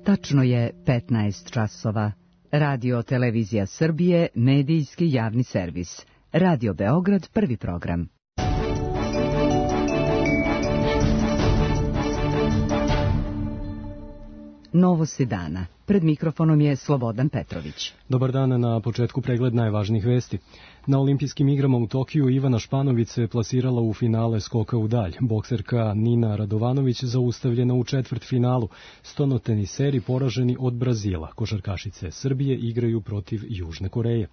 Tačno je 15 časova. Radio Televizija Srbije, medijski javni servis. Radio Beograd, prvi program. Novosti dana. Pred mikrofonom je Slobodan Petrović. Dobar dan, na početku pregled najvažnijih vesti. Na olimpijskim igrama u Tokiju Ivana Španović se plasirala u finale skoka u dalj. Bokserka Nina Radovanović zaustavljena u četvrtfinalu. Stonoteniseri poraženi od Brazila. Košarkašice Srbije igraju protiv Južne Koreje.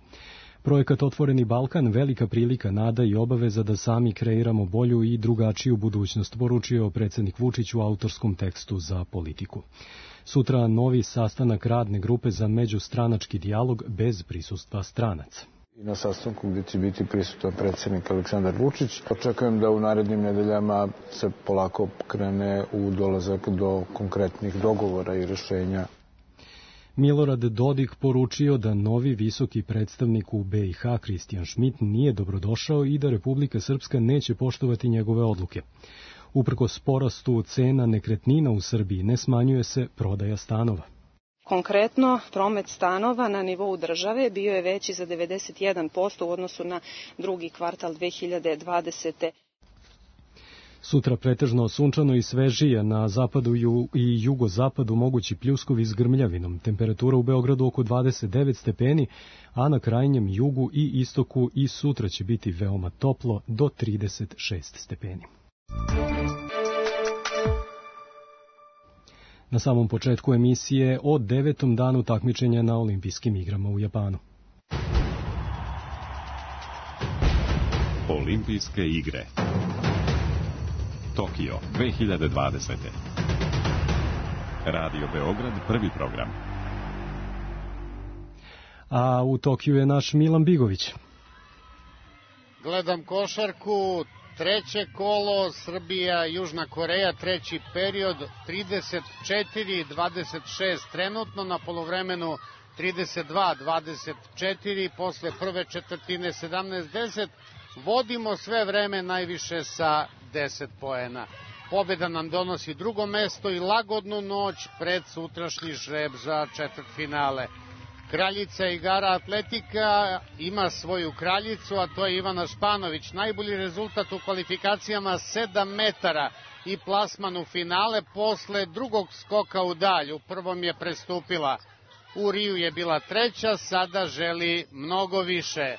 Projekat Otvoreni Balkan, velika prilika, nada i obaveza da sami kreiramo bolju i drugačiju budućnost, poručio predsjednik Vučić u autorskom tekstu za Politiku. Sutra novi sastanak radne grupe za međustranački dijalog bez prisustva stranaca. I na sastanku gdje će biti prisutan predsjednik Aleksandar Vučić. Očekujem da u narednim nedeljama se polako krene u dolazak do konkretnih dogovora i rješenja. Milorad Dodik poručio da novi visoki predstavnik u BiH Kristijan Šmit nije dobrodošao i da Republika Srpska neće poštovati njegove odluke. Uprkos porastu cena nekretnina u Srbiji ne smanjuje se prodaja stanova. Konkretno, promet stanova na nivou države bio je veći za 91% u odnosu na drugi kvartal 2020. Sutra pretežno sunčano i svežije, na zapadu i jugozapadu mogući pljuskovi s grmljavinom. Temperatura u Beogradu oko 29 stepeni, a na krajnjem jugu i istoku i sutra će biti veoma toplo do 36 stepeni. Na samom početku emisije o 9. danu takmičenja na olimpijskim igrama u Japanu. Olimpijske igre Tokio 2020. Radio Beograd, prvi program. A u Tokiju je naš Milan Bigović. Gledam košarku, treće kolo, Srbija, Južna Koreja, treći period, 34-26 trenutno, na poluvremenu 32-24, posle prve četvrtine 17-10, vodimo sve vreme najviše sa 10 poena. Pobjeda nam donosi drugo mesto i lagodnu noć pred sutrašnji žreb za četvrtfinale. Kraljica igara atletika ima svoju kraljicu, a to je Ivana Španović. Najbolji rezultat u kvalifikacijama 7 metara i plasman u finale posle drugog skoka u dalj. U prvom je prestupila. U Riju je bila treća, sada želi mnogo više.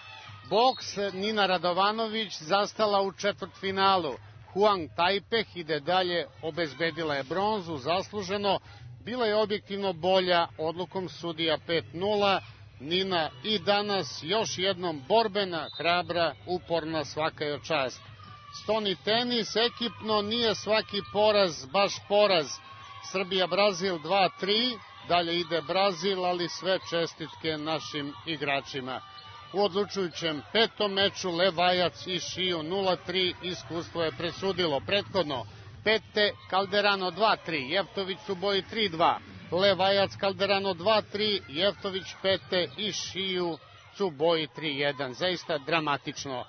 Boks, Nina Radovanović zastala u četvrtfinalu. Huang Tajpeh ide dalje, obezbedila je bronzu, zasluženo. Bila je objektivno bolja, odlukom sudija 5-0. Nina i danas još jednom borbena, hrabra, uporna, svaka joj čast. Stoni tenis, ekipno nije svaki poraz baš poraz. Srbija-Brazil 2-3, dalje ide Brazil, ali sve čestitke našim igračima. U odlučujućem petom meču Levajac i Šiju 0-3, iskustvo je presudilo. Prethodno Pete Calderano 2-3, Jeftović su boji 3-2, Levajac Calderano 2-3, Jeftović Pete i Šiju su boji 3-1. Zaista dramatično.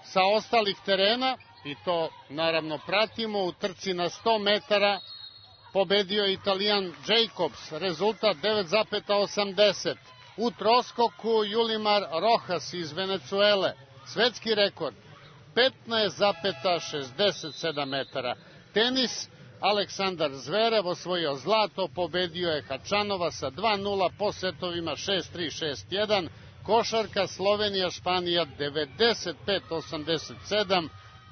Sa ostalih terena, i to naravno pratimo, u trci na 100 metara pobedio Italijan Jacobs, rezultat 9,80. U troskoku Julimar Rojas iz Venecuele, svetski rekord 15,67 metara. Tenis, Aleksandar Zverev osvojio zlato, pobedio je Hačanova sa 2-0 po setovima 6-3, 6-1. Košarka Slovenija, Španija 95-87.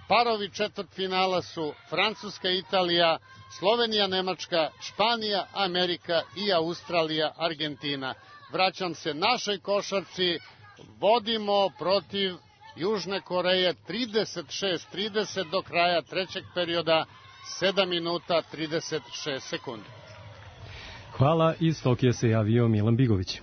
Parovi četvrtfinala su Francuska, Italija, Slovenija, Nemačka, Španija, Amerika i Australija, Argentina. Vraćam se našoj košarci, vodimo protiv Južne Koreje 36-30 do kraja trećeg perioda, 7 minuta 36 sekundi. Hvala, iz Tokija se javio Milan Bigović.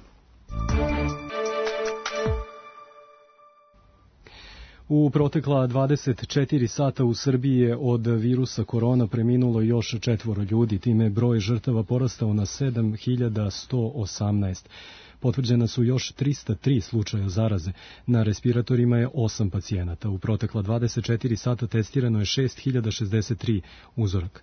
U protekla 24 sata u Srbiji je od virusa korona preminulo još 4 ljudi, time je broj žrtava porastao na 7118. Potvrđena su još 303 slučaja zaraze. Na respiratorima je 8 pacijenata. U protekla 24 sata testirano je 6063 uzoraka.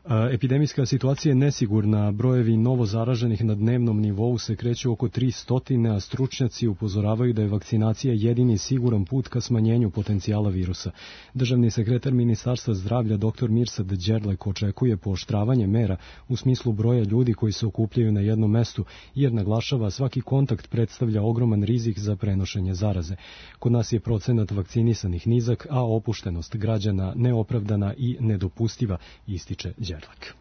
Epidemijska situacija je nesigurna, brojevi novo zaraženih na dnevnom nivou se kreću oko 300, a stručnjaci upozoravaju da je vakcinacija jedini siguran put ka smanjenju potencijala virusa. Državni sekretar Ministarstva zdravlja dr. Mirsad Đerlek očekuje pooštravanje mera u smislu broja ljudi koji se okupljaju na jednom mestu, jer naglašava svaki kontakt predstavlja ogroman rizik za prenošenje zaraze. Kod nas je procenat vakcinisanih nizak, a opuštenost građana neopravdana i nedopustiva, ističe Đerlek.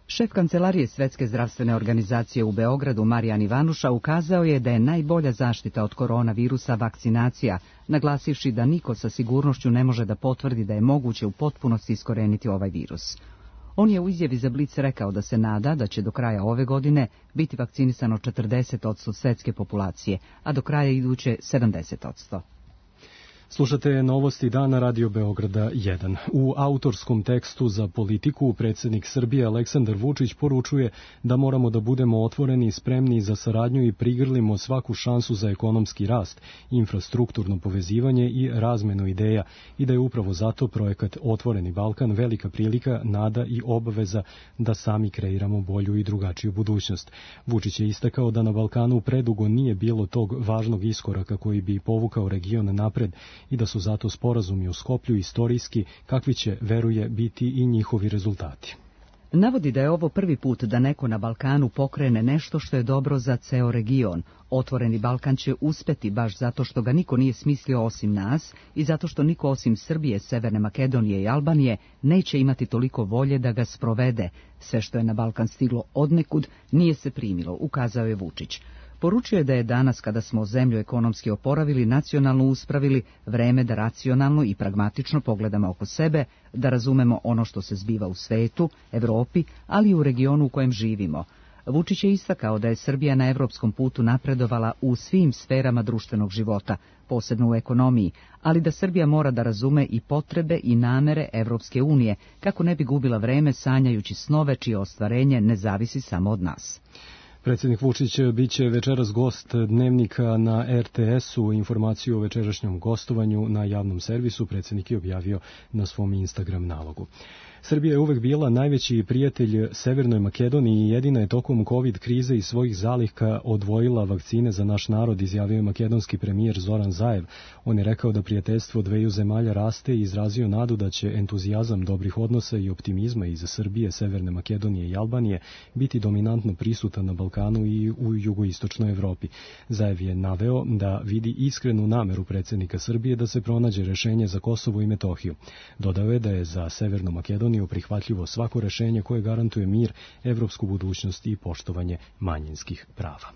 Šef Kancelarije Svetske zdravstvene organizacije u Beogradu, Marijan Ivanuša, ukazao je da je najbolja zaštita od koronavirusa vakcinacija, naglasivši da niko sa sigurnošću ne može da potvrdi da je moguće u potpunosti iskoreniti ovaj virus. On je u izjavi za Blic rekao da se nada da će do kraja ove godine biti vakcinisano 40% svetske populacije, a do kraja iduće 70%. Slušate novosti dana Radio Beograda 1. U autorskom tekstu za Politiku predsjednik Srbije Aleksandar Vučić poručuje da moramo da budemo otvoreni i spremni za saradnju i prigrlimo svaku šansu za ekonomski rast, infrastrukturno povezivanje i razmenu ideja i da je upravo zato projekat Otvoreni Balkan velika prilika, nada i obaveza da sami kreiramo bolju i drugačiju budućnost. Vučić je istakao da na Balkanu predugo nije bilo tog važnog iskoraka koji bi povukao region napred i da su zato sporazumi u Skoplju istorijski, kakvi će, veruje, biti i njihovi rezultati. Navodi da je ovo prvi put da neko na Balkanu pokrene nešto što je dobro za ceo region. Otvoreni Balkan će uspeti baš zato što ga niko nije smislio osim nas i zato što niko osim Srbije, Severne Makedonije i Albanije neće imati toliko volje da ga sprovede. Sve što je na Balkan stiglo odnekud nije se primilo, ukazao je Vučić. Poručio je da je danas, kada smo zemlju ekonomski oporavili, nacionalno uspravili, vreme da racionalno i pragmatično pogledamo oko sebe, da razumemo ono što se zbiva u svetu, Evropi, ali i u regionu u kojem živimo. Vučić je istakao da je Srbija na evropskom putu napredovala u svim sferama društvenog života, posebno u ekonomiji, ali da Srbija mora da razume i potrebe i namere Evropske unije, kako ne bi gubila vreme sanjajući snove čije ostvarenje ne zavisi samo od nas. Predsjednik Vučić biće večeras gost Dnevnika na RTS-u. Informaciju o večerašnjem gostovanju na javnom servisu predsjednik je objavio na svom Instagram nalogu. Srbija je uvek bila najveći prijatelj Severnoj Makedoniji i jedina je tokom COVID krize iz svojih zaliha odvojila vakcine za naš narod, izjavio je makedonski premijer Zoran Zaev. On je rekao da prijateljstvo dveju zemalja raste i izrazio nadu da će entuzijazam dobrih odnosa i optimizma iz Srbije, Severne Makedonije i Albanije biti dominantno prisutan na Balkanu i u jugoistočnoj Evropi. Zaev je naveo da vidi iskrenu nameru predsjednika Srbije da se pronađe rešenje za Kosovo i Metohiju. Dodao je da je za Severnu Makedoniju prihvatljivo svako rešenje koje garantuje mir, evropsku budućnost i poštovanje manjinskih prava.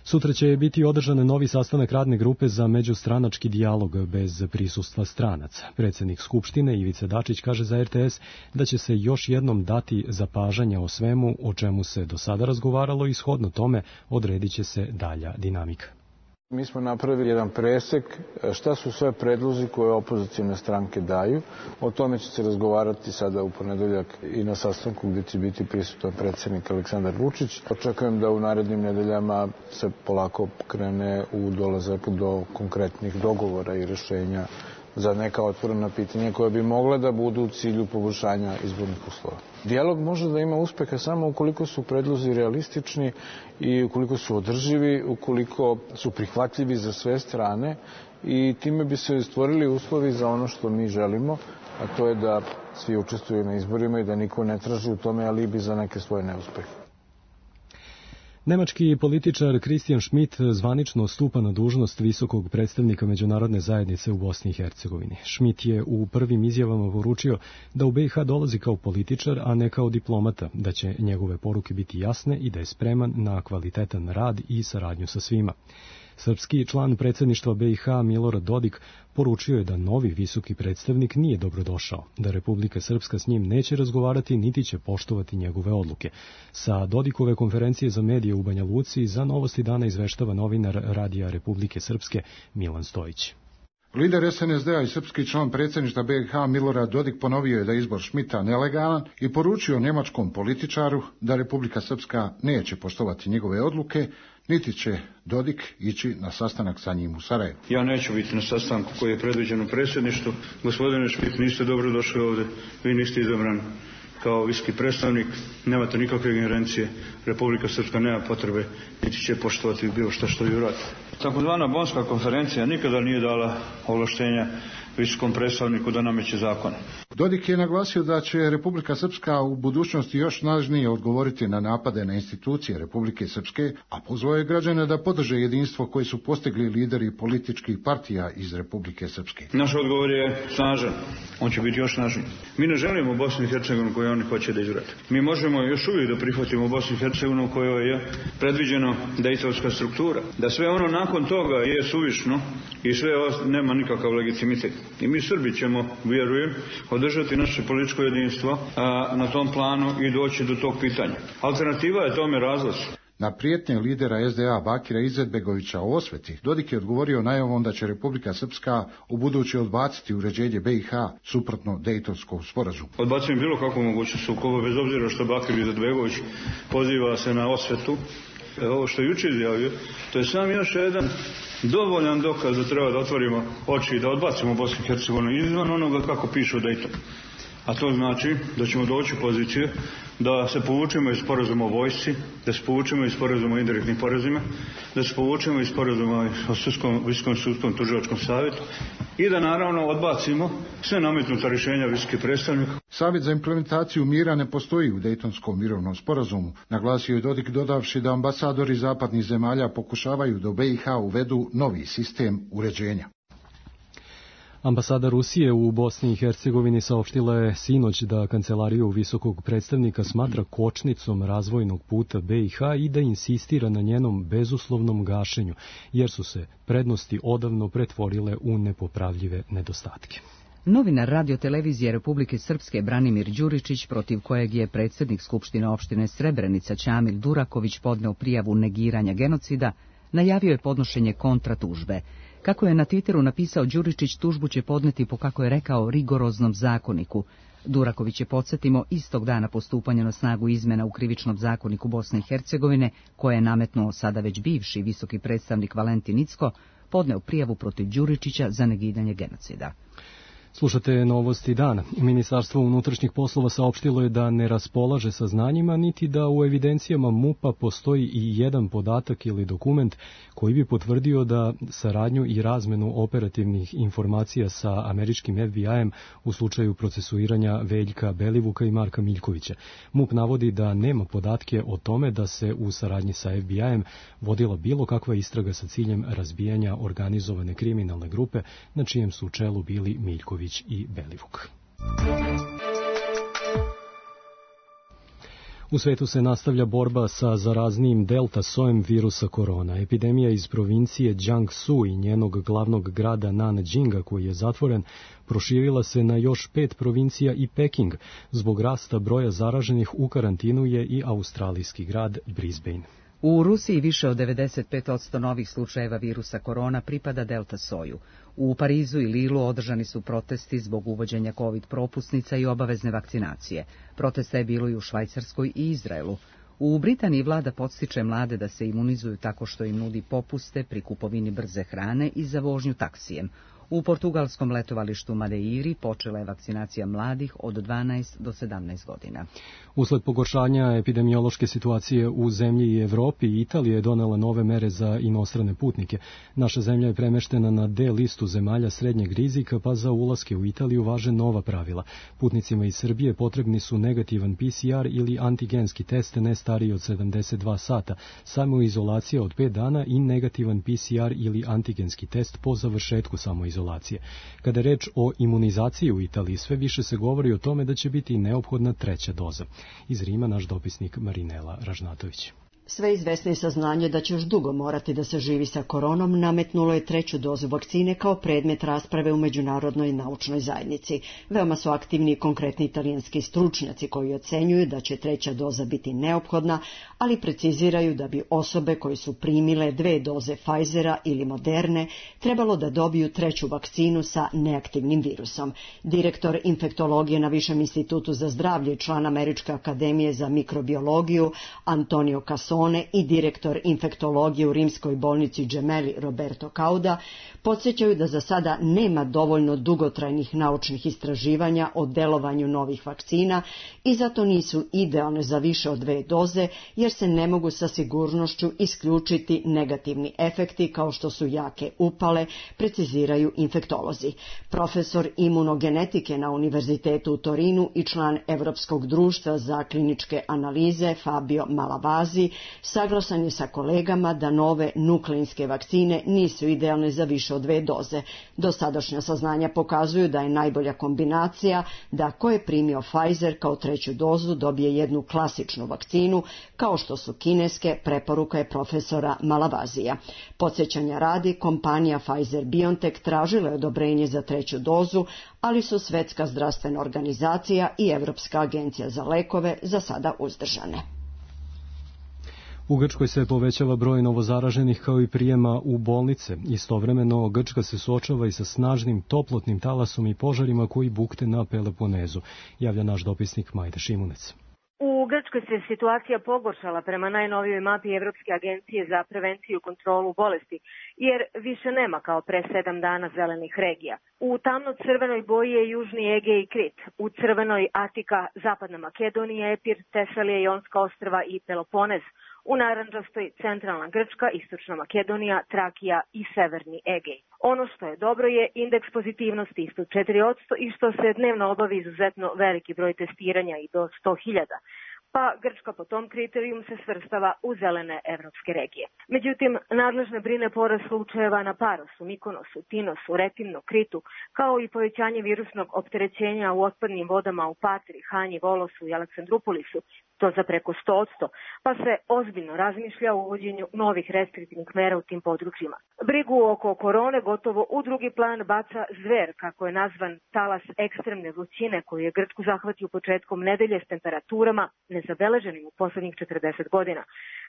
Sutra će biti održan novi sastanak radne grupe za međustranački dijalog bez prisustva stranaca. Predsjednik Skupštine Ivica Dačić kaže za RTS da će se još jednom dati zapažanja o svemu o čemu se do sada razgovaralo i shodno tome odredit će se dalja dinamika. Mi smo napravili jedan presek šta su sve predlozi koje opozicijne stranke daju. O tome će se razgovarati sada u ponedeljak i na sastanku gdje će biti prisutan predsjednik Aleksandar Vučić. Očekujem da u narednim nedeljama se polako krene u dolazak do konkretnih dogovora i rešenja za neka otvorena pitanja koja bi mogla da budu u cilju poboljšanja izbornih uslova. Dijalog može da ima uspeha samo ukoliko su predlozi realistični i ukoliko su održivi, ukoliko su prihvatljivi za sve strane i time bi se stvorili uslovi za ono što mi želimo, a to je da svi učestvuju na izborima i da niko ne traži u tome alibi za neke svoje neuspehe. Nemački političar Christian Schmidt zvanično stupa na dužnost visokog predstavnika međunarodne zajednice u Bosni i Hercegovini. Schmidt je u prvim izjavama poručio da u BiH dolazi kao političar, a ne kao diplomata, da će njegove poruke biti jasne i da je spreman na kvalitetan rad i saradnju sa svima. Srpski član predsjedništva BiH Milorad Dodik poručio je da novi visoki predstavnik nije dobrodošao, da Republika Srpska s njim neće razgovarati niti će poštovati njegove odluke. Sa Dodikove konferencije za medije u Banja Luci za Novosti dana izveštava novinar Radija Republike Srpske Milan Stojić. Lider SNSD-a i srpski član predsjedništva BiH Milorad Dodik ponovio je da je izbor Schmidta nelegalan i poručio njemačkom političaru da Republika Srpska neće poštovati njegove odluke, niti će Dodik ići na sastanak sa njim u Sarajevu. Ja neću biti na sastanku koji je predviđen u predsjedništvu. Gospodine Schmidt, niste dobro došli ovdje. Vi niste izabran kao visoki predstavnik nemate nikakve ingerencije. Republika Srpska nema potrebe niti će poštovati bilo što vi uradite. Takozvana Bonska konferencija nikada nije dala ovlaštenja visokom predstavniku da nameće zakone. Dodik je naglasio da će Republika Srpska u budućnosti još snažnije odgovoriti na napade na institucije Republike Srpske, a pozvao je građane da podrže jedinstvo koje su postigli lideri političkih partija iz Republike Srpske. Naš odgovor je snažan, on će biti još snažniji. Mi ne želimo Bosnu i Hercegovinu koju oni hoće da izgrade. Mi možemo još uvijek da prihvatimo Bosnu i Hercegovinu kojoj je predviđeno dejtonska struktura. Da sve ono nakon toga je suvišno i sve nema nikakav legitimitet. I mi Srbi ćemo, vjerujem, održati naše političko jedinstvo na tom planu i doći do tog pitanja. Alternativa je tome razlaz. Na prijetnje lidera SDA Bakira Izetbegovića o osveti, Dodik je odgovorio najavom da će Republika Srpska ubuduće odbaciti uređenje BiH suprotno Dejtonskom sporazumu. Odbacujem bilo kakvu mogućnost sukoba, bez obzira što Bakir Izetbegović poziva se na osvetu. Ovo što je jučer izjavio, to je sam još jedan dovoljan dokaz da treba da otvorimo oči i da odbacimo Bosnu i Hercegovinu izvan onoga kako piše u Dejtonu. A to znači da ćemo doći u poziciju da se povučemo iz sporazuma o vojsci, da se povučemo iz sporazuma o indirektnim porezima, da se povučemo iz sporazuma o Visokom sudskom tužilačkom savjetu i da naravno odbacimo sve nametnuta rješenja visokih predstavnika. Savjet za implementaciju mira ne postoji u Dejtonskom mirovnom sporazumu, naglasio je Dodik dodavši da ambasadori zapadnih zemalja pokušavaju da u BiH uvedu novi sistem uređenja. Ambasada Rusije u Bosni i Hercegovini saopštila je sinoć da kancelariju visokog predstavnika smatra kočnicom razvojnog puta BiH i da insistira na njenom bezuslovnom gašenju, jer su se prednosti odavno pretvorile u nepopravljive nedostatke. Novinar Radio-televizije Republike Srpske Branimir Đuričić, protiv kojeg je predsjednik Skupštine opštine Srebrenica Ćamil Duraković podneo prijavu negiranja genocida, najavio je podnošenje kontratužbe. Kako je na Twitteru napisao Đuričić, tužbu će podneti po, kako je rekao, rigoroznom zakoniku. Duraković je, podsjetimo, istog dana po stupanju na snagu izmjena u krivičnom zakoniku Bosne i Hercegovine, koje je nametnuo sada već bivši visoki predstavnik Valentin Incko, podneo prijavu protiv Đuričića za negiranje genocida. Slušate novosti dana. Ministarstvo unutrašnjih poslova saopštilo je da ne raspolaže saznanjima, niti da u evidencijama MUP-a postoji i jedan podatak ili dokument koji bi potvrdio da saradnju i razmenu operativnih informacija sa američkim FBI-em u slučaju procesuiranja Veljka Belivuka i Marka Miljkovića. MUP navodi da nema podatke o tome da se u saradnji sa FBI-em vodila bilo kakva istraga sa ciljem razbijanja organizovane kriminalne grupe na čijem su čelu bili Miljković i Belivuk. U svetu se nastavlja borba sa zaraznijim delta sojem virusa korona. Epidemija iz provincije Jiangsu i njenog glavnog grada Nanjinga, koji je zatvoren, proširila se na još 5 provincija i Peking. Zbog rasta broja zaraženih u karantinu je i australijski grad Brisbane. U Rusiji više od 95% novih slučajeva virusa korona pripada delta soju. U Parizu i Lilu održani su protesti zbog uvođenja COVID propusnica i obavezne vakcinacije. Protesta je bilo i u Švajcarskoj i Izraelu. U Britaniji vlada podstiče mlade da se imunizuju tako što im nudi popuste pri kupovini brze hrane i za vožnju taksijem. U portugalskom letovalištu Madeiri počela je vakcinacija mladih od 12 do 17 godina. Usled pogoršanja epidemiološke situacije u zemlji i Evropi, Italija je donela nove mere za inostrane putnike. Naša zemlja je premeštena na D listu zemalja srednjeg rizika, pa za ulaske u Italiju važe nova pravila. Putnicima iz Srbije potrebni su negativan PCR ili antigenski test ne stariji od 72 sata, samoizolacija od 5 dana i negativan PCR ili antigenski test po završetku samoizolacije. Kada je reč o imunizaciji u Italiji, sve više se govori o tome da će biti neophodna 3. doza. Iz Rima naš dopisnik Marinela Ražnatović. Sve izvesnije saznanje da će još dugo morati da se živi sa koronom nametnulo je 3. dozu vakcine kao predmet rasprave u međunarodnoj naučnoj zajednici. Veoma su aktivni i konkretni italijanski stručnjaci koji ocenjuju da će 3. doza biti neophodna, ali preciziraju da bi osobe koje su primile 2 doze Pfizera ili Moderne trebalo da dobiju 3. vakcinu sa neaktivnim virusom. Direktor infektologije na Višem institutu za zdravlje i član Američke akademije za mikrobiologiju Antonio Casson Cantone i direktor infektologije u rimskoj bolnici Gemelli Roberto Cauda podsjećaju da za sada nema dovoljno dugotrajnih naučnih istraživanja o delovanju novih vakcina i zato nisu idealne za više od 2 doze, jer se ne mogu sa sigurnošću isključiti negativni efekti kao što su jake upale, preciziraju infektolozi. Profesor imunogenetike na Univerzitetu u Torinu i član Evropskog društva za kliničke analize Fabio Malavasi saglasan je sa kolegama da nove nukleinske vakcine nisu idealne za više od 2 doze. Dosadašnja saznanja pokazuju da je najbolja kombinacija da ko je primio Pfizer kao 3. dozu dobije jednu klasičnu vakcinu, kao što su kineske, preporuka je profesora Malavazija. Podsjećanja radi, kompanija Pfizer-BioNTech tražila je odobrenje za 3. dozu, ali su Svetska zdravstvena organizacija i Evropska agencija za lekove za sada uzdržane. U Grčkoj se povećava broj novozaraženih kao i prijema u bolnice. Istovremeno, Grčka se suočava i sa snažnim toplotnim talasom i požarima koji bukte na Peloponezu, javlja naš dopisnik Majda Šimunec. U Grčkoj se situacija pogoršala prema najnovijoj mapi Evropske agencije za prevenciju i kontrolu bolesti, jer više nema kao pre 7 dana zelenih regija. U tamno-crvenoj boji je Južni Egej i Krit, u crvenoj Atika, Zapadna Makedonija, Epir, Tesalija, Jonska ostrva i Peloponez, u narančastoj centralna Grčka, istočna Makedonija, Trakija i severni Egej. Ono što je dobro je indeks pozitivnosti ispod 4% i što se dnevno obavi izuzetno veliki broj testiranja i do 100.000. Pa Grčka po tom kriterijum se svrstava u zelene evropske regije. Međutim, nadležne brine porast slučajeva na Parosu, Mikonosu, Tinosu, Retimnu, Kritu, kao i povećanje virusnog opterećenja u otpadnim vodama u Patri, Hanji, Volosu i Aleksandrupolisu, to za preko 100%, pa se ozbiljno razmišlja o uvođenju novih restriktivnih mera u tim područjima. Brigu oko korone gotovo u drugi plan baca zver, kako je nazvan talas ekstremne vrućine koji je Grčku zahvatio početkom nedelje s temperaturama nezabeleženim u poslednjih 40 godina.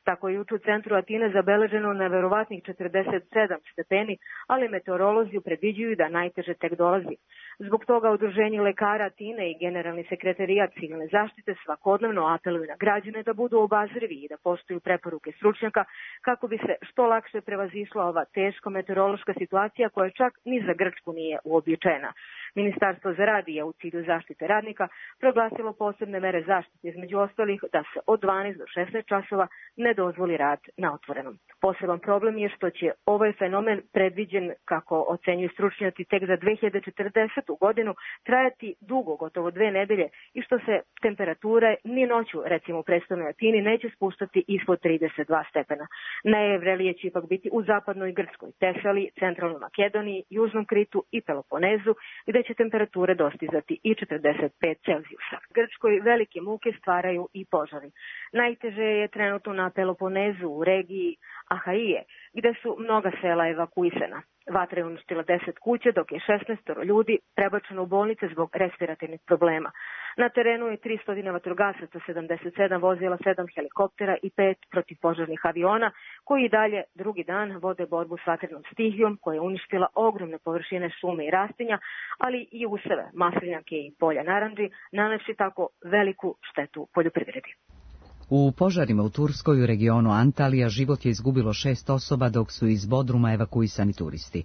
Tako je juče u centru Atine zabeleženo neverovatnih 47 stepeni, ali meteorolozi predviđuju da najteže tek dolazi. Zbog toga Udruženje lekara Atine i Generalni sekretarijat civilne zaštite svakodnevno apeluju na građane da budu obazrivi i da poštuju preporuke stručnjaka kako bi se što lakše prevazišla ova teška meteorološka situacija koja čak ni za Grčku nije uobičajena. Ministarstvo za rad je u cilju zaštite radnika proglasilo posebne mere zaštite, između ostalih da se od 12 do 16 časova ne dozvoli rad na otvorenom. Poseban problem je što će ovaj fenomen predviđen, kako ocenjuju stručnjaci, tek za 2040. godinu trajati dugo, gotovo 2 nedelje, i što se temperature ni noću, recimo u predstavnoj Atini, neće spuštati ispod 32 stepena. Najvrelije će ipak biti u zapadnoj Grčkoj, Tesaliji, centralnoj Makedoniji, Južnom Kritu i Peloponezu, gde će temperature dostizati i 45 Celzijusa. Grčkoj velike muke stvaraju i požari. Najteže je trenutno na Peloponezu u regiji Ahaije, gde su mnoga sela evakuisana. Vatra je uništila 10 kuća, dok je 16 ljudi prebačeno u bolnice zbog respiratornih problema. Na terenu je 300 vatrogasaca, 77 vozila, 7 helikoptera i 5 protivpožarnih aviona, koji i dalje drugi dan vode borbu s vatrenom stihijom koja je uništila ogromne površine šume i rastinja, ali i useve, maslinjake i polja narandži, nanevši tako veliku štetu poljoprivredi. U požarima u Turskoj u regionu Antalija život je izgubilo 6 osoba dok su iz Bodruma evakuisani turisti.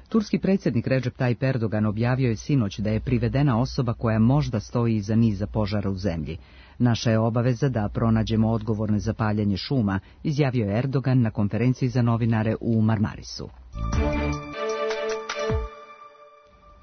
Turski predsjednik Recep Tayyip Erdogan objavio je sinoć da je privedena osoba koja možda stoji iza niza požara u zemlji. Naša je obaveza da pronađemo odgovorne za paljenje šuma, izjavio je Erdogan na konferenciji za novinare u Marmarisu.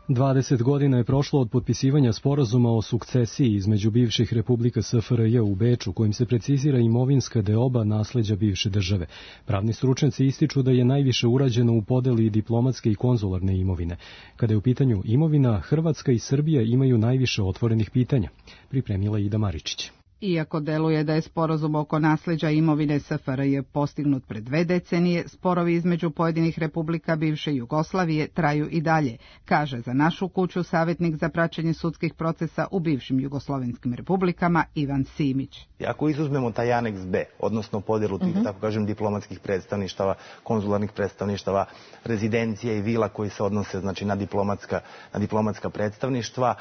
20 godina je prošlo od potpisivanja sporazuma o sukcesiji između bivših republika SFRJ u Beču, kojim se precizira imovinska deoba nasleđa bivše države. Pravni stručnjaci ističu da je najviše urađeno u podeli diplomatske i konzularne imovine. Kada je u pitanju imovina, Hrvatska i Srbija imaju najviše otvorenih pitanja, pripremila Ida Maričić. Iako deluje da je sporazum oko nasleđa imovine SFRJ postignut pred 2 decenije, sporovi između pojedinih republika bivše Jugoslavije traju i dalje, kaže za našu kuću savjetnik za praćenje sudskih procesa u bivšim jugoslovenskim republikama Ivan Simić. Ako izuzmemo taj aneks B, odnosno podjelu tih, tako kažem, diplomatskih predstavništava, konzularnih predstavništava, rezidencije i vila koji se odnose, znači, na diplomatska predstavništva,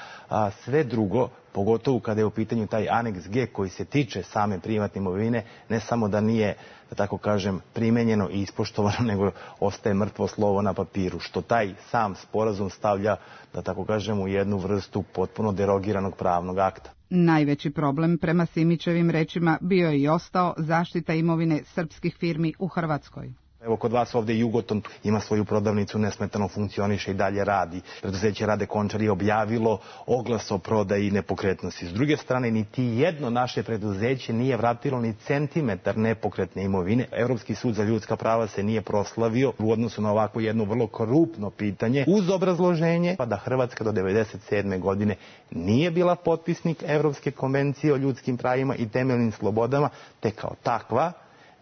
sve drugo pogotovo kada je u pitanju taj aneks G koji se tiče same privatne imovine, ne samo da nije, da tako kažem, primenjeno i ispoštovano, nego ostaje mrtvo slovo na papiru, što taj sam sporazum stavlja, da tako kažem, u jednu vrstu potpuno derogiranog pravnog akta. Najveći problem, prema Simićevim rečima, bio je i ostao zaštita imovine srpskih firmi u Hrvatskoj. Evo kod vas ovde Jugoton ima svoju prodavnicu, nesmetano funkcioniše i dalje radi. Preduzeće Rade Končar je objavilo oglas o prodaji nepokretnosti. S druge strane, niti jedno naše preduzeće nije vratilo ni centimetar nepokretne imovine. Evropski sud za ljudska prava se nije proslavio u odnosu na ovako jedno vrlo krupno pitanje, uz obrazloženje da Hrvatska do 1997. godine nije bila potpisnik Evropske konvencije o ljudskim pravima i temeljnim slobodama, te kao takva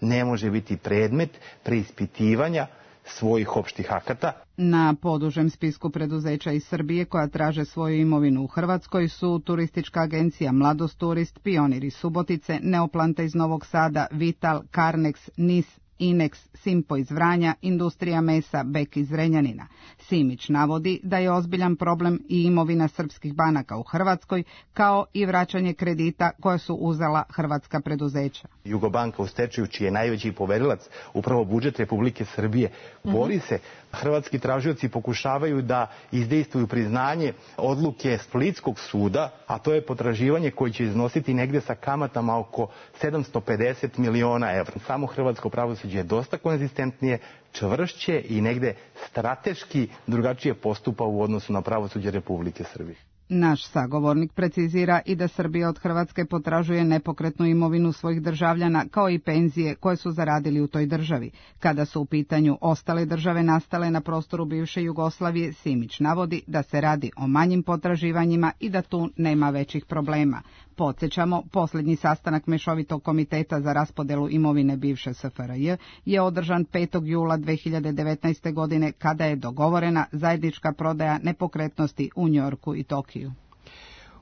ne može biti predmet preispitivanja svojih opštih akata. Na podužem spisku preduzeća iz Srbije koja traže svoju imovinu u Hrvatskoj su Turistička agencija Mladost Turist, Pionir iz Subotice, Neoplanta iz Novog Sada, Vital, Karnex, NIS, Inex, Simpo iz Vranja, Industrija mesa, Bek iz Zrenjanina. Simić navodi da je ozbiljan problem i imovina srpskih banaka u Hrvatskoj, kao i vraćanje kredita koje su uzela hrvatska preduzeća. Jugobanka u stečaju, čiji je najveći poverilac upravo budžet Republike Srbije, bori se. Hrvatski tražioci pokušavaju da izdejstvuju priznanje odluke Splitskog suda, a to je potraživanje koje će iznositi negde sa kamatama oko 750 miliona evra. Samo hrvatsko pravosuđe je dosta konzistentnije, čvršće i negde strateški drugačije postupa u odnosu na pravosuđe Republike Srbije. Naš sagovornik precizira i da Srbija od Hrvatske potražuje nepokretnu imovinu svojih državljana, kao i penzije koje su zaradili u toj državi. Kada su u pitanju ostale države nastale na prostoru bivše Jugoslavije, Simić navodi da se radi o manjim potraživanjima i da tu nema većih problema. Podsjećamo, posljednji sastanak Mešovitog komiteta za raspodelu imovine bivše SFRJ je održan 5. jula 2019. godine, kada je dogovorena zajednička prodaja nepokretnosti u Njorku i Tokiju.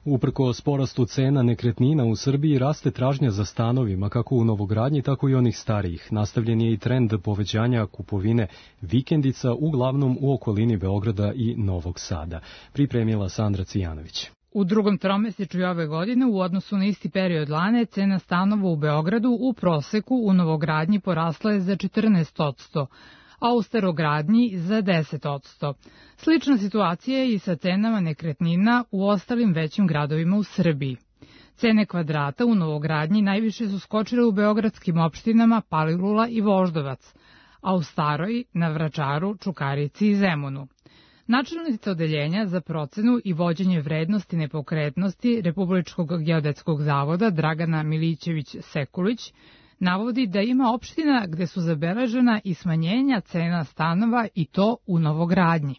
Uprkos porastu cena nekretnina u Srbiji raste tražnja za stanovima, kako u novogradnji, tako i onih starijih. Nastavljen je i trend povećanja kupovine vikendica, uglavnom u okolini Beograda i Novog Sada. Pripremila Sandra Cijanović. U drugom tromesečju ove godine u odnosu na isti period lane cena stanova u Beogradu u proseku u novogradnji porasla je za 14%, a u starogradnji za 10%. Slična situacija je i sa cenama nekretnina u ostalim većim gradovima u Srbiji. Cene kvadrata u novogradnji najviše su skočile u beogradskim opštinama Palilula i Voždovac, a u Staroj, na Vračaru, Čukarici i Zemunu. Načelnica odeljenja za procenu i vođenje vrednosti nepokretnosti Republičkog geodetskog zavoda Dragana Milićević-Sekulić navodi da ima opština gde su zabeležena i smanjenja cena stanova i to u novogradnji.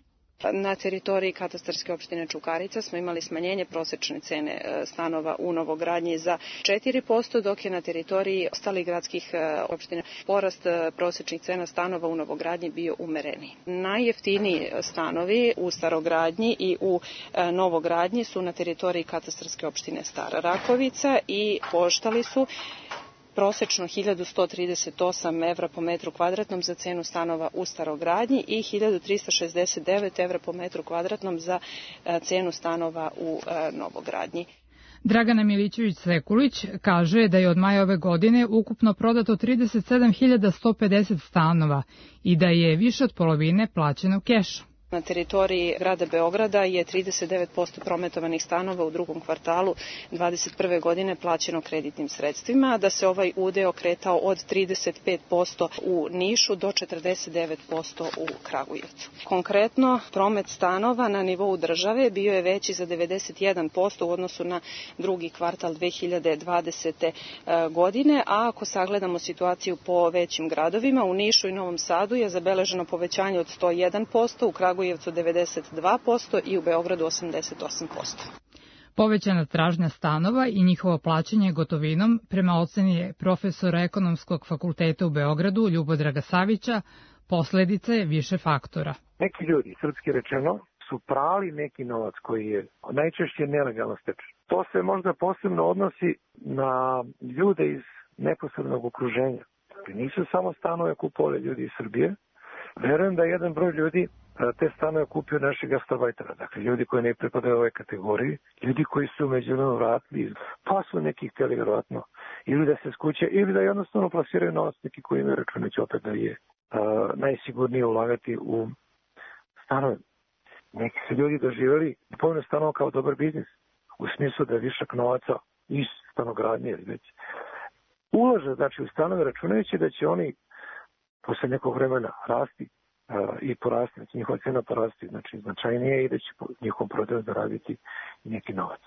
Na teritoriji katastarske opštine Čukarica smo imali smanjenje prosečne cene stanova u novogradnji za 4%, dok je na teritoriji ostalih gradskih opština porast prosečnih cena stanova u novogradnji bio umereniji. Najjeftiniji stanovi u starogradnji i u novogradnji su na teritoriji katastarske opštine Stara Rakovica i koštali su prosečno 1138 evra po metru kvadratnom za cenu stanova u starogradnji i 1369 evra po metru kvadratnom za cenu stanova u novogradnji. Dragana Milićević-Sekulić kaže da je od maja ove godine ukupno prodato 37.150 stanova i da je više od polovine plaćeno kešom. Na teritoriji grada Beograda je 39% prometovanih stanova u drugom kvartalu 2021. godine plaćeno kreditnim sredstvima, da se ovaj udeo kretao od 35% u Nišu do 49% u Kragujevcu. Konkretno, promet stanova na nivou države bio je veći za 91% u odnosu na drugi kvartal 2020. godine, a ako sagledamo situaciju po većim gradovima, u Nišu i Novom Sadu je zabeleženo povećanje od 101%, u Kragujevcu 92% i u Beogradu 88%. Povećana tražnja stanova i njihovo plaćanje gotovinom, prema oceni profesora Ekonomskog fakulteta u Beogradu Ljubodraga Savića, posledica je više faktora. Neki ljudi, srpski rečeno, su prali neki novac koji je najčešće nelegalno stečen. To se možda posebno odnosi na ljude iz neposrednog okruženja. Nisu samo stanove kupovali ljudi iz Srbije, Verujem da jedan broj ljudi te stanove kupio naših gastarbajtera, dakle ljudi koji ne pripadaju ovoj kategoriji, ljudi koji su međuvremeno vratili, pa su neki htjeli vjerovatno ili da se skuće, ili da jednostavno plasiraju novac neki koji imaju računajući opet da je najsigurnije ulagati u stanove. Neki su ljudi doživjeli kupovinu stanova kao dobar biznis, u smislu da je višak novaca iz stanogradnje ili već ulaže, znači u stanove računajući da će oni posle nekog vremena rasti i porasti, znači njihova cena porasti, znači značajnije i da će njihovom prodaju zaraditi neki novac.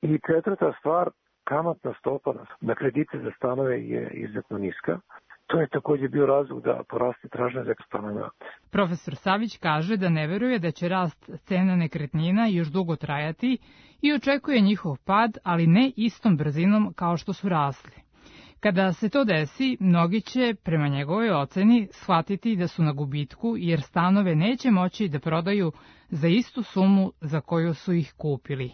I četvrta stvar, kamatna stopa na kredite za stanove je izuzetno niska. To je također bio razlog da poraste tražnja za stanove. Profesor Savić kaže da ne veruje da će rast cena nekretnina još dugo trajati i očekuje njihov pad, ali ne istom brzinom kao što su rasli. Kada se to desi, mnogi će, prema njegovoj oceni, shvatiti da su na gubitku jer stanove neće moći da prodaju za istu sumu za koju su ih kupili.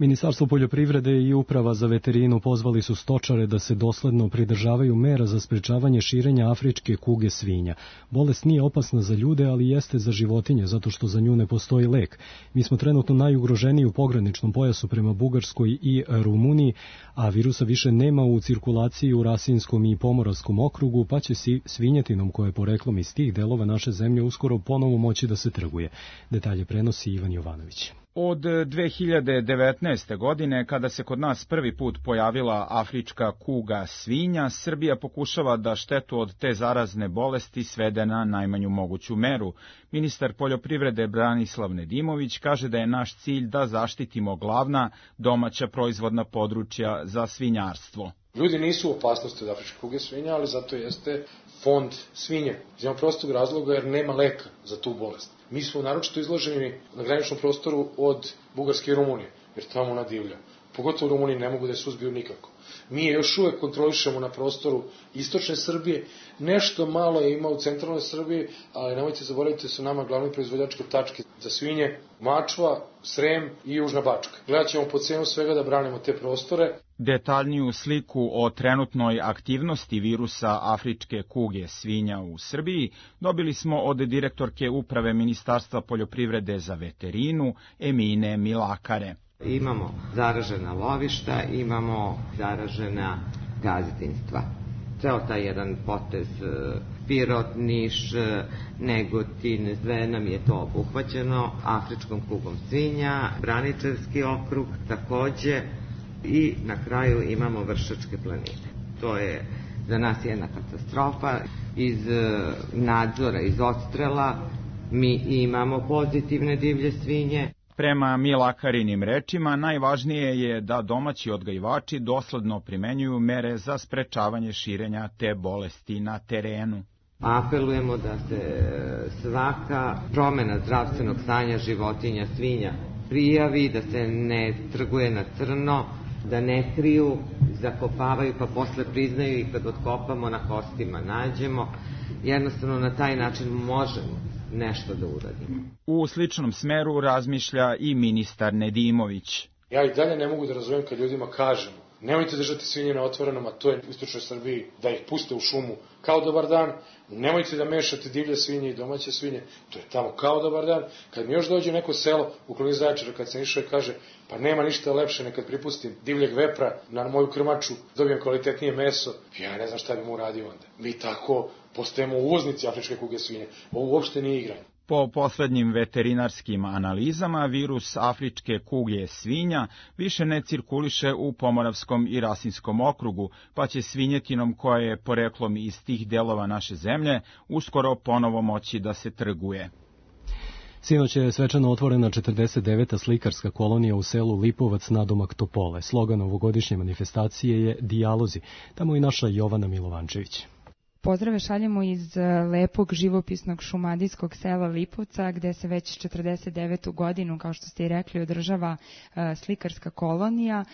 Ministarstvo poljoprivrede i Uprava za veterinu pozvali su stočare da se dosledno pridržavaju mera za sprečavanje širenja afričke kuge svinja. Bolest nije opasna za ljude, ali jeste za životinje, zato što za nju ne postoji lek. Mi smo trenutno najugroženiji u pograničnom pojasu prema Bugarskoj i Rumuniji, a virusa više nema u cirkulaciji u Rasinskom i Pomoravskom okrugu, pa će svinjetinom koja je poreklom iz tih delova naše zemlje uskoro ponovo moći da se trguje. Detalje prenosi Ivan Jovanović. Od 2019. godine, kada se kod nas prvi put pojavila afrička kuga svinja, Srbija pokušava da štetu od te zarazne bolesti svede na najmanju moguću meru. Ministar poljoprivrede Branislav Nedimović kaže da je naš cilj da zaštitimo glavna domaća proizvodna područja za svinjarstvo. Ljudi nisu u opasnosti od afričke kuge svinja, ali zato jeste fond svinje. Iz jednog prostog razloga jer nema leka za tu bolest. Mi smo naročito izloženi na graničnom prostoru od Bugarske i Rumunije, jer tamo ona divlja. Pogotovo u Rumuniji ne mogu da je suzbiju nikako. Mi je još uvek kontrolišemo na prostoru istočne Srbije, nešto malo je ima u centralnoj Srbiji, ali nemojte zaboraviti da su nama glavni proizvođačke tačke za svinje Mačva, Srem i Južna Bačka. Gledat ćemo po cenu svega da branimo te prostore. Detaljniju sliku o trenutnoj aktivnosti virusa afričke kuge svinja u Srbiji dobili smo od direktorke Uprave Ministarstva poljoprivrede za veterinu Emine Milakare. Imamo zaražena lovišta, imamo zaražena gazdinstva. Ceo taj jedan potez Pirot, Niš, Negotin, sve nam je to obuhvaćeno afričkom kugom svinja, Braničevski okrug takođe i na kraju imamo Vršačke planine. To je za nas jedna katastrofa. Iz nadzora, iz odstrela mi imamo pozitivne divlje svinje. Prema Milakarinim rečima, najvažnije je da domaći odgajivači dosledno primenjuju mere za sprečavanje širenja te bolesti na terenu. Apelujemo da se svaka promena zdravstvenog stanja životinja, svinja, prijavi, da se ne trguje na crno, da ne kriju, zakopavaju pa posle priznaju i kad otkopamo na kostima nađemo. Jednostavno na taj način možemo nešto da uradimo. U sličnom smeru razmišlja i ministar Nedimović. Ja i dalje ne mogu da razumem kad ljudima kažemo nemojte držati svinje na otvorenom, a to je u istočnoj Srbiji, da ih puste u šumu kao dobar dan, nemojte da mešate divlje svinje i domaće svinje, to je tamo kao dobar dan. Kad mi još dođe neko selo u okolini Zaječara, kad sam išao i kaže pa nema ništa lepše nekad pripustim divljeg vepra na moju krmaču, dobijem kvalitetnije meso, ja ne znam šta bi mu uradio onda. Mi tako postajemo uvoznici afričke kuge svinje, ovo uopšte nije igranje. Po poslednjim veterinarskim analizama, virus afričke kuge svinja više ne cirkuliše u Pomoravskom i Rasinskom okrugu, pa će svinjetinom koja je poreklom iz tih delova naše zemlje uskoro ponovo moći da se trguje. Sinoć je svečano otvorena 49. slikarska kolonija u selu Lipovac nadomak Topole. Slogan ovogodišnje manifestacije je Dijalozi. Tamo i naša Jovana Milovančević. Pozdrave šaljemo iz lepog živopisnog šumadijskog sela Lipovca, gde se već 49. godinu, kao što ste i rekli, održava slikarska kolonija.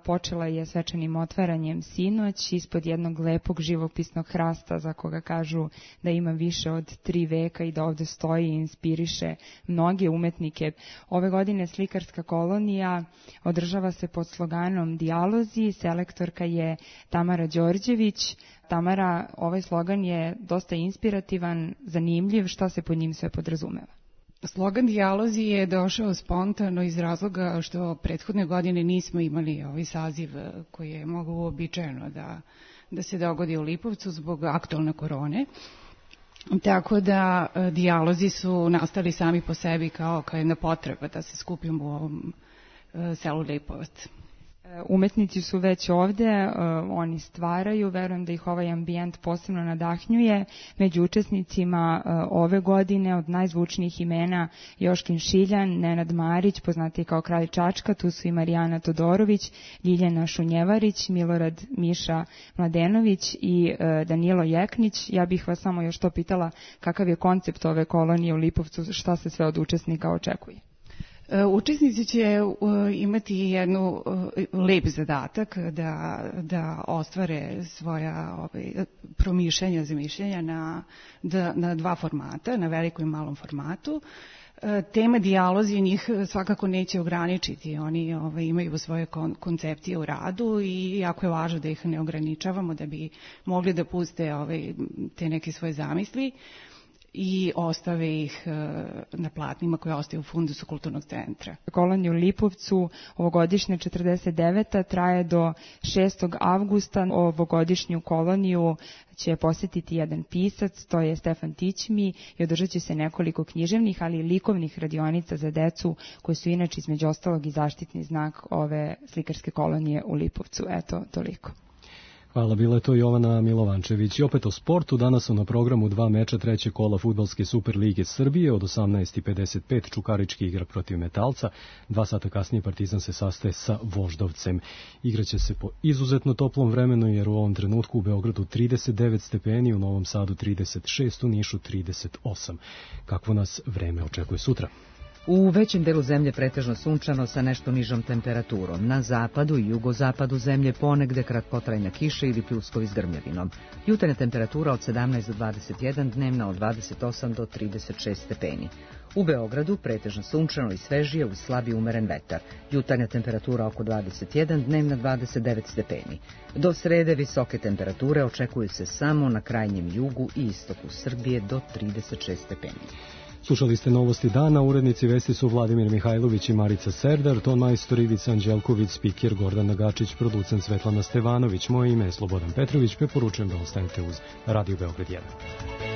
Počela je svečanim otvaranjem sinoć ispod jednog lepog živopisnog hrasta za koga kažu da ima više od 3 veka i da ovde stoji i inspiriše mnoge umetnike. Ove godine slikarska kolonija održava se pod sloganom Dijalozi, selektorka je Tamara Đorđević. Tamara, ovaj slogan je dosta inspirativan, zanimljiv, šta se pod njim sve podrazumeva? Slogan Dijalozi je došao spontano iz razloga što prethodne godine nismo imali ovaj saziv koji je moglo uobičajeno da se dogodi u Lipovcu zbog aktualne korone. Tako da dijalozi su nastali sami po sebi kao jedna potreba da se skupimo u ovom selu Lipovac. Umetnici su već ovde, oni stvaraju, verujem da ih ovaj ambijent posebno nadahnjuje. Među učesnicima ove godine od najzvučnijih imena Joškin Šiljan, Nenad Marić, poznati kao Kralj Čačka, tu su i Marijana Todorović, Ljiljana Šunjevarić, Milorad Miša Mladenović i Danilo Jeknić. Ja bih vas samo još to pitala kakav je koncept ove kolonije u Lipovcu, šta se sve od učesnika očekuje? Učesnici će imati jednu lep zadatak da ostvare svoja promišljanja, zamišljenja na 2 formata, na velikom i malom formatu. Tema dijalozi njih svakako neće ograničiti, oni imaju svoje koncepcije u radu i jako je važno da ih ne ograničavamo da bi mogli da puste te neke svoje zamisli i ostave ih na platnima koje ostaju u fundusu kulturnog centra. Kolonija u Lipovcu ovogodišnja 49. traje do 6. avgusta. Ovogodišnju koloniju će posjetiti jedan pisac, to je Stefan Tićmi, i održat će se nekoliko književnih, ali i likovnih radionica za decu, koje su inače između ostalog i zaštitni znak ove slikarske kolonije u Lipovcu. Eto, toliko. Hvala, bila je to Jovana Milovančević. I opet o sportu, danas su na programu 2 meča 3. kola Fudbalske Superlige Srbije. Od 18:55 Čukarički igra protiv Metalca. 2 sata kasnije Partizan se sastaje sa Voždovcem. Igraće se po izuzetno toplom vremenu, jer u ovom trenutku u Beogradu 39 stepeni, u Novom Sadu 36, u Nišu 38. Kakvo nas vreme očekuje sutra? U većem delu zemlje pretežno sunčano sa nešto nižom temperaturom. Na zapadu i jugozapadu zemlje ponegde kratkotrajna kiša ili pljuskovi s grmljavinom. Jutarnja temperatura od 17 do 21, dnevna od 28 do 36 stepeni. U Beogradu pretežno sunčano i svežije uz slabi umeren vetar. Jutarnja temperatura oko 21, dnevna 29 stepeni. Do srede visoke temperature očekuju se samo na krajnjem jugu i istoku Srbije do 36 stepeni. Slušali ste novosti dana, urednici vesti su Vladimir Mihajlović i Marica Serdar, ton majstor Ivica Anđelković, spiker Gordana Gačić, producent Svetlana Stevanović. Moje ime je Slobodan Petrović, preporučujem da ostanete uz Radio Beograd 1.